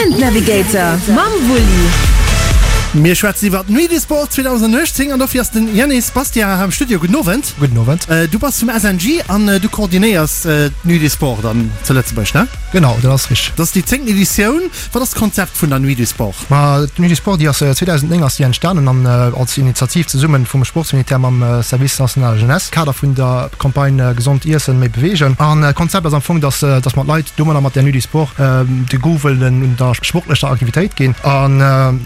Event Navigator mam Wulli. Mir schwätzen iwwer d'Nuit du Sport 2018 an dofir ass den Yannis Bastiat hei am Studio. Gudden Owend. Gudden Owend. Du bass vum SNG an du koordinéiers d'Nuit du Sport dann zu Lëtzebuerg, ne? Genau, dat ass richteg. Dat ass déi zéngten Editioun. Wat ass d'Konzept vun der Nuit du Sport? Ma d'Nuit du Sport, déi ass 2009 ass déi entstanen an als Initiativ zesummen vum Sportsministère mam Service national Jeunesse, Kader vun der Campagne Gesond iessen, méi beweegen. An d'Konzept ass am Fong, dass dass mer d'Leit domadder mat der Nuit du Sport de Goût wëllen un der sportlecher Aktivitéit ginn an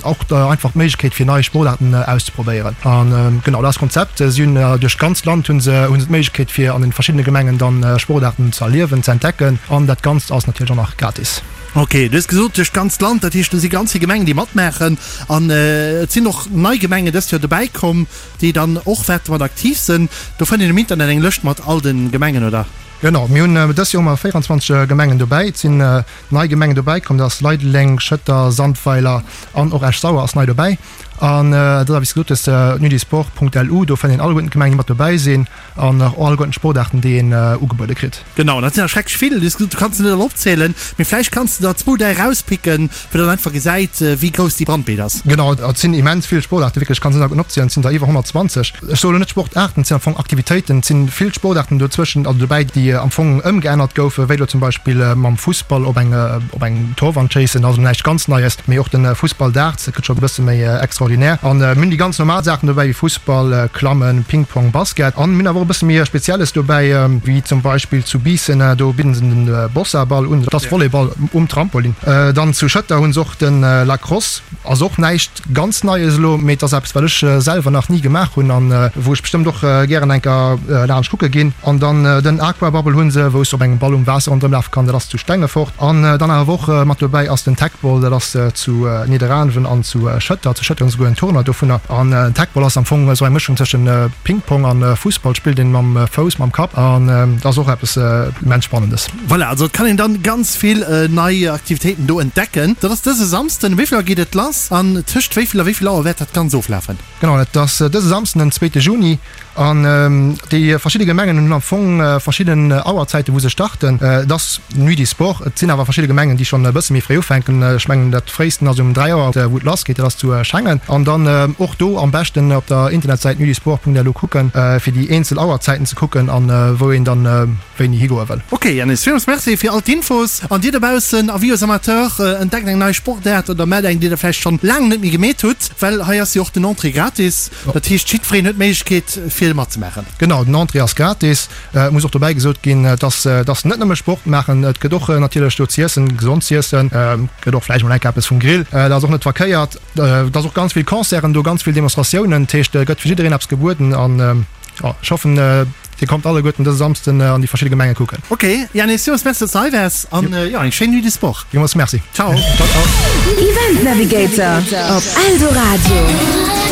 och einfach d'Méiglechkeet fir nei Sportaarten auszeprobéieren. An genau dat ass d'Konzept. Si hunn duerch d'ganzt Land hu se hu se d'Méiglechkeet fir an den verschiddene Gemengen dann Sportaarten ze erliewen, ze entdecken an dat Ganzt ass natierlech och nach gratis. Ok, du hues gesot duerch d'ganzt Land, dat heescht do si ganz vill Gemengen déi matmaachen an et sinn och nei Gemengen dëst Joer dobäi komm, déi dann och wäerte mat aktiv sinn. Do fënnt een um Internet eng Lëscht mat all de Gemengen, oder? Genau, mir hunn dëst Joer hu mer 24 Gemengen dobäi. Et sinn nei Gemengen dobäi komm, dat ass Leideleng, Schëtter, Sandweiler an och Esch-Sauer ass nei dobäi. An dat ass wéi s de gesot hues, nuitdusport.lu, do fënnt een alleguerten d'Gemengen déi mat dobäi sinn. An och alleguerten d'Sportaarten, déi een ugebuede kritt. Genau, dat sinn der schrecklech vill. Du hues gesot, du kanns se net all opzielen, mee vläicht kanns de der zwou, däi erauspicken, fir datt een einfach gesäit, wéi grouss déi Bandbreet ass. Genau, et sinn immens vill Sportaarten, wierklech, ech kann se net alleguerten opzielen, et sinn der iwwer 120. Ech soe lo net Sportaarten, et sinn am Fong Aktivitéiten. Et sinn vill Sportaarten dozwëschen, also dobäi, déi am Fong ëmgeännert goufen, wéi lo zum Beispill mam Fussball op eng op eng Torwand schéissen, also näischt ganz Neies, mee och de Fussball Darts, dat gëtt scho e bësse méi extraordinär. An mir hunn déi ganz normal Saachen dobäi, wéi Fussball, Klammen, Ping-Pong, Basket. An mir hunn awer och e bësse méi Spezielles dobäi, wéi zum Beispill zu Biissen, do bidden se den Bossaball un, dat ass Volleyball um Trampolin. Dann zu Schëtter hu se och de Lacrosse, ass och näischt ganz Neies elo, mee et ass eppes, wat ech selwer nach ni gemaach hunn an wou ech bestëmmt och gären eng Kéier laanscht kucke ginn. An dann den Aquabubble hu se, wou s de op engem Ball um Waasser ronderëm lafe kann, dat ass zu Stengefort. An dann awer och mat dobäi ass den Teqball, dat ass zu Nidderaanwen an zu Schëtter. Zu Schëtter hunn se souguer en Tournoi dovunner. An Teqball ass am Fong esou eng Mëschung tëschent Ping-Pong an Fussball, spillt een mam Fouss, mam Kapp an dat ass och eppes immens Spannendes. Voilà, also et kann een dann ganz vill nei Aktivitéiten do entdecken. Dat ass dëse Samsden. Wéi vill Auer geet et lass an tëscht wéi vill a wéi vill Auer wäert dat Ganzt oflafen? Genau, dat ass dëse Samsden, den zweete Juni. An déi verschidde Gemengen hunn am Fong verschidden Auerzäiten, wou se starten. Et ass Nuit du Sport. Et sinn awer verschidde Gemengen, déi schonn e bësse méi fréi ufänken. Ech mengen, dat fréisten ass um 3 Auer, wou et lassgeet. Dat ass zu Schengen. An dann och do am beschten op der Internetsäit nuitdusport.lu kucken, fir déi eenzel Auerzäiten ze kucken an wou een dann wéini higoe wëll. Ok Yannis, villmools Merci fir all d'Infos. An dir dobaussen, Avis aux amateurs, entdeckt eng nei Sportaart oder mellt eng, déi der vläicht schonn laang net méi gemeet hutt, well hei ass jo och den Entrée gratis. Dat heescht, jiddwereen huet d'Méiglechkeet fir matzemaachen. Genau, den Entrée ass gratis. Et muss och dobäi gesot ginn, dass dass net nëmme Sport maachen, et gëtt och natierlech do z'iessen, gesond z'iessen, gëtt och vläicht mol enk eppes vum Grill, dat ass och net verkéiert. Et ass och ganz vill Concerten do, ganz vill Demonstratiounen, dat heescht, et gëtt fir jiddereen eppes gebueden an jo, ech hoffen, Dir kommt alleguerten dëse Samsden an déi verschidde Gemenge kucken. Ok Yannis, villmools Merci dass de hei waars an jo eng schéin Nuit du Sport. Villmools Merci. Ciao. Ciao ciao. Event Navigator op Eldoradio.